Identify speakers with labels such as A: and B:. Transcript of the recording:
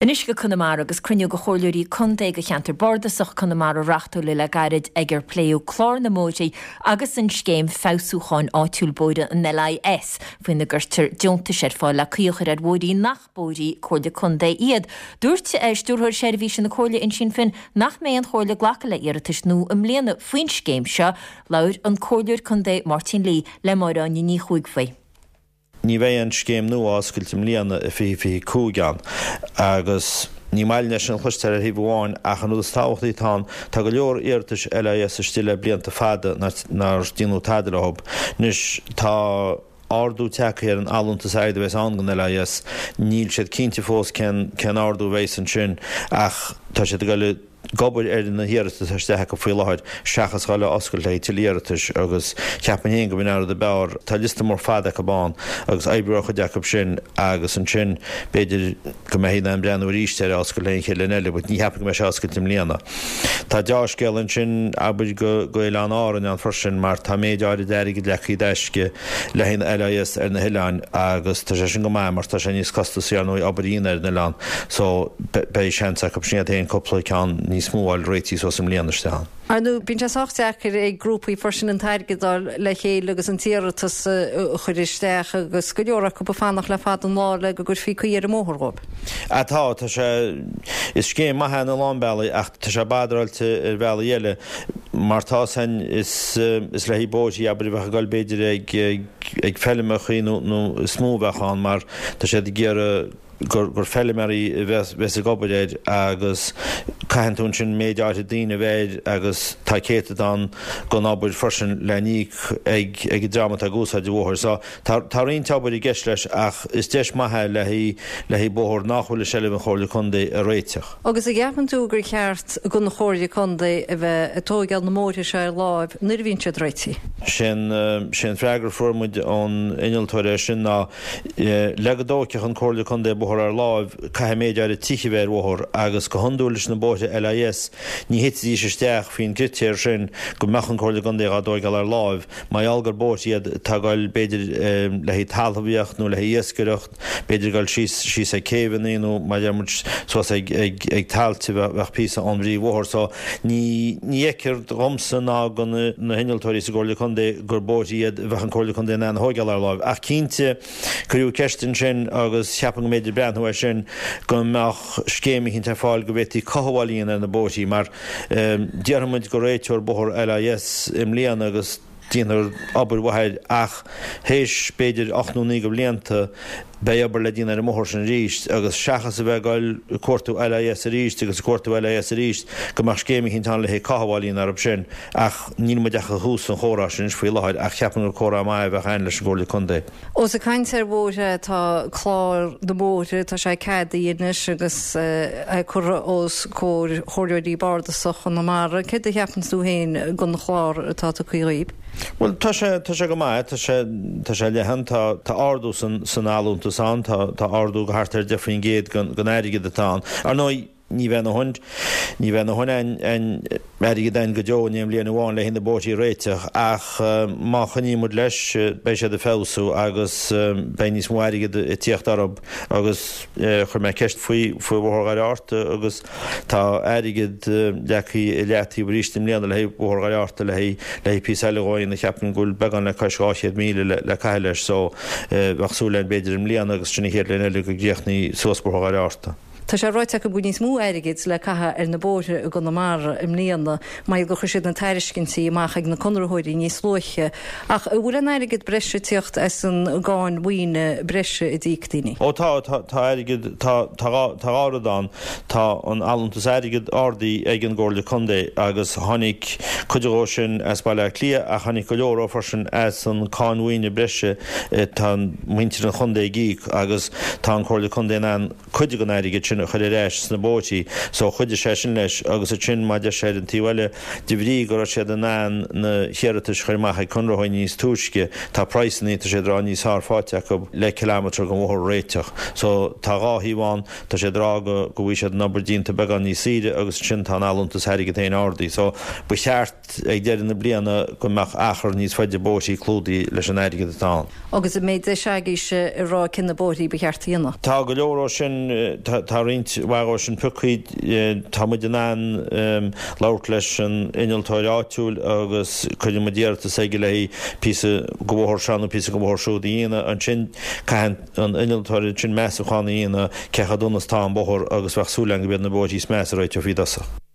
A: Anois go Conamara agus cruinniú de chomhairleoirí contae de cheantar bardasach Conamara reáchtáladh le gairid ag ar pléadh clár na mbóithre agus an scéim feabhsúcháin áitiúil bóithre, an LIS, faoina gcuirtear deontais ar fáil le caoi a chur ar bhóithrí nach bóithrí Comhairle Contae iad. Dúirt Stiúrthóir Seirbhíse na Comhairle, Uinsíonn Finn, nach mbeidh an Chomhairle ag glacadh le iarratais nua i mbliana faoin scéim seo. Labhair an Comhairleoir Contae Máirtín Lee le Máire Áine Ní Chuaig faoi.
B: Ní bheidh an scéim nua á oscailt i mbliana i 2025 ann agus ní maith linn é sin a chloisteáil ar thaobh amháin ach an rud is tábhachtaí atá ann, tá go leor iarratais LIS istigh le blianta fada nár déanadh tada leo. Anois tá ardú tagtha ar an allúntas airgid a bheas ann don LIS. Níl siad cinnte fós cén cén ardú a bheas ansin ach tá siad ag dul ag obair ar na hiarratais atá isteach acu faoi láthair seachas dhul a oscailt le haghaidh tuilleadh iarratais agus cheapfainn féin go b'in an rud ab fhearr. Tá liosta mór fada acu ann agus oibriú ar chuid acu sin agus ansin b'fhéidir go mbeifí in ann breathnú arís ar é a oscailt le haghaidh an chéad bhliain eile but ní cheapaim go mbeidh sé oscailte i mbliana. Tá deá-scéal ansin abair go go Oileáin Árainn ann freisin mar tá méid áirid airgid leagtha i dtaisce le haghaidh an LIS ar na hoileáin agus tá sé sin go maith mar tá sé níos costasaí ar ndóigh obair a dhéanamh ar an oileán so beidh seans acu sin iad féin cúpla ceann níos mó a fháil réitithe suas i mbliana isteach ann.
C: Ar ndóigh, bíonn sé sách deacair ag grúpaí freisin an t-airgead a fháil le chéile agus an t-iarratas a chur isteach agus go leor acu ag fanacht le fada an lá le go gcuirfí caoi ar an mbóthar dhóibh.
B: Ah tá, tá sé, is scéim maith é ina lán bealaí ach tá sé badráilte ar bhealaí eile. Mar tá san, is le haghaidh bóithrí, abair, a bheadh ag dul b'fhéidir ag ag feilmeachaí nó nó is mó a bheadh ann mar tá siad ag iarraidh gur gur feilméaraí a bheas bheas ag obair air agus caitheann tú ansin méid áirithe daoine a bheith air agus tá céatadán den obair freisin le n-íoc ag ag an dream atá ag úsáid an bhóthair. So tá tá roinnt obair i gceist leis ach is deis maith é le haghaidh le haghaidh bóthar nach bhfuil i seilbh an Chomhairle Contae a réiteach.
C: Agus an gceapann tú gur cheart don Chomhairle Contae a bheith ag tóigeáil na mbóithre seo ar láimh nuair a bhíonn siad réitithe?
B: Sé'n sé'n freagra a fuair muid ón innealtóir air sin ná le go dtóigfeadh an Comhairle Contae bóthar ar láimh caithfidh méid áirithe tithe a bheith ar bhóthar agus go hiondúil leis na bóithre LIS ní thitfidís isteach faoin gcritéar sin go mbeadh an Comhairle Contae dhá dtóigeáil ar láimh mar gheall gur bóithre iad atá ag dul b'fhéidir le haghaidh talmhaíocht nó le haghaidh iascaireacht. b'fhéidir ag dul síos, síos ag céibheanna nó mar a deir muid suas ag, ag, ag tailte a bheadh píosa ón bpríomhbhóthar. So ní, ní fheictear dhomsa ná do na, na hinnealtóirí sa gComhairle Contae gur bóithre iad a bheadh an Comhairle Contae in ann a thóigeáil ar láimh. Ach cinnte, cuireadh ceist ansin agus cheapfainn go mb'fhéidir breathnú air sin go mbeadh scéim eicínt ar fáil go bhféadfaí cothabháil a dhéanamh ar na bóithrí mar déarfaidh muid go réiteofar bóthar LIS i mbliana agus déanfar obair mhaith air ach théis b'fhéidir 8 nó 9 de bhlianta beidh obair le déanamh ar an mbóthar sin arís agus seachas a bheith ag dul ag cuartú LIS arís agus ag cuartú LIS arís go mbeadh scéim eicínt ann le haghaidh cothabháil a dhéanamh orthu sin ach níl muid ach ag thús an chomhrá sin anois faoi láthair ach cheapfainn gur comhrá maith a bheadh ann leis an gComhairle Contae.
C: Ós ag caint ar bhóithre tá clár na mbóithre, tá sé ceadaithe anois agus é curtha os comhair Chomhairleoirí Bardasach Chonamara. Céard a cheapann tú féin den chlár atá tugtha dhaoib?
B: Bhuel, tá sé, tá sé go maith, tá sé, tá sé leathan, tá, tá ardú san, san allúntas ann, tá, tá ardú go thart ar 10% den, den airgead atá ann. Ar ndóigh, ní bheidh a ndóthain, ní bheidh a ndóthain aon, airgead ann go deo in aon bhliain amháin le haghaidh na bóithrí a réiteach ach má choinníonn muid leis, beidh siad ag feabhsú agus beidh níos mó airgead ag tíocht orthu agus chuir mé ceist faoi, faoi Bhóthar Dhoire Fhatharta agus tá airgead leagtha i leataobh arís i mbliana le haghaidh Bhóthar Dhoire Fhatharta le haghaidh, le haghaidh píosa eile dhó a dhéanamh cheapfainn go bhfuil beagán le cois 200,000 le, le caitheamh leis so bheadh súil againn b'fhéidir i mbliana agus sin an chéad bhliain eile go gcríochnaí suas Bóthar Dhoire Fhatharta.
C: Tá sé ráite acu go bhfuil níos mó airgid le caitheamh ar na bóithre i gConamara i mbliana mar gheall gur chuir siad na tairiscintí amach ag na conraitheoirí níos luaithe. Ach an bhfuil aon airgead breise ag tíocht as an gcáin mhaoine breise a d'íoc daoine?
B: Ó tá, tá, tá airgead, tá, tá dhá, tá dhá rud ann. Tá an allúntas airgid ardaithe ag an gComhairle Contae agus tháinig cuid dhó sin as Baile Átha Cliath ach tháinig go leor dhó freisin as an cáin mhaoine breise atá muintir an chontae ag íoc agus tá an Comhairle Contae in ann cuid den airgead sin a chur ar ais sna bóithrí so chuidigh sé sin leis agus ansin mar a deir sé ar an taobh eile de bhrí go raibh siad in ann na hiarratais a chur amach ag conraitheoirí níos túisce tá praghsanna tá siad ag rá níos fearr faighte acu le kilometre den bhóthar a réiteach so tá dhá thaobh ann tá siad ag rá go go bhfaighidh siad an obair déanta beagán níos saoire agus ansin tá an allúntas airgid féin ardaithe so ba cheart ag deireadh na bliana go mbeadh achar níos faide bóithrí clúdaithe leis an airgead atá ann.
C: Agus an mbeidh deis agaibhse a rá cé na bóithrí ba cheart a dhéanamh?
B: Tá go leor ó sin, tá. roinnt mhaith dhó sin piocthaí. Tá muid in ann labhairt leis an innealtóir áitiúil agus cuireann muid iarratas aige le haghaidh píosa go bhóthar seo nó píosa go bhóthar siúd a dhéanamh. Ansin caithfidh an innealtóir ansin measúchán a dhéanamh cé chomh dona is atá an bóthar agus bheadh súil agam go mb'iad na bóithrí is measa a réiteofaí i dtosach.